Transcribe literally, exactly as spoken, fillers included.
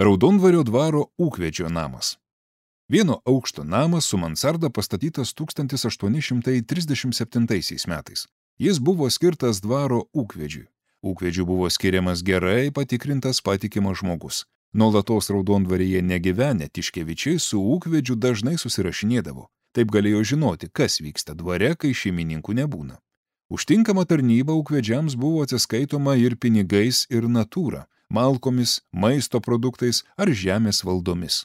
Raudondvario dvaro ūkvedžio namas. Vieno aukšto namas su mansarda pastatytas tūkstantis aštuoni šimtai trisdešimt septintaisiais metais. Jis buvo skirtas dvaro ūkvedžiui. Ūkvedžiui buvo skiriamas gerai patikrintas patikimas žmogus. Nuolatos Raudondvaryje negyvenę Tiškevičiai su ūkvedžiu dažnai susirašinėdavo. Taip galėjo žinoti, kas vyksta dvare, kai šeimininkų nebūna. Už tinkamą tarnybą ūkvedžiams buvo atsiskaitoma ir pinigais, ir natūra, malkomis, maisto produktais ar žemės valdomis.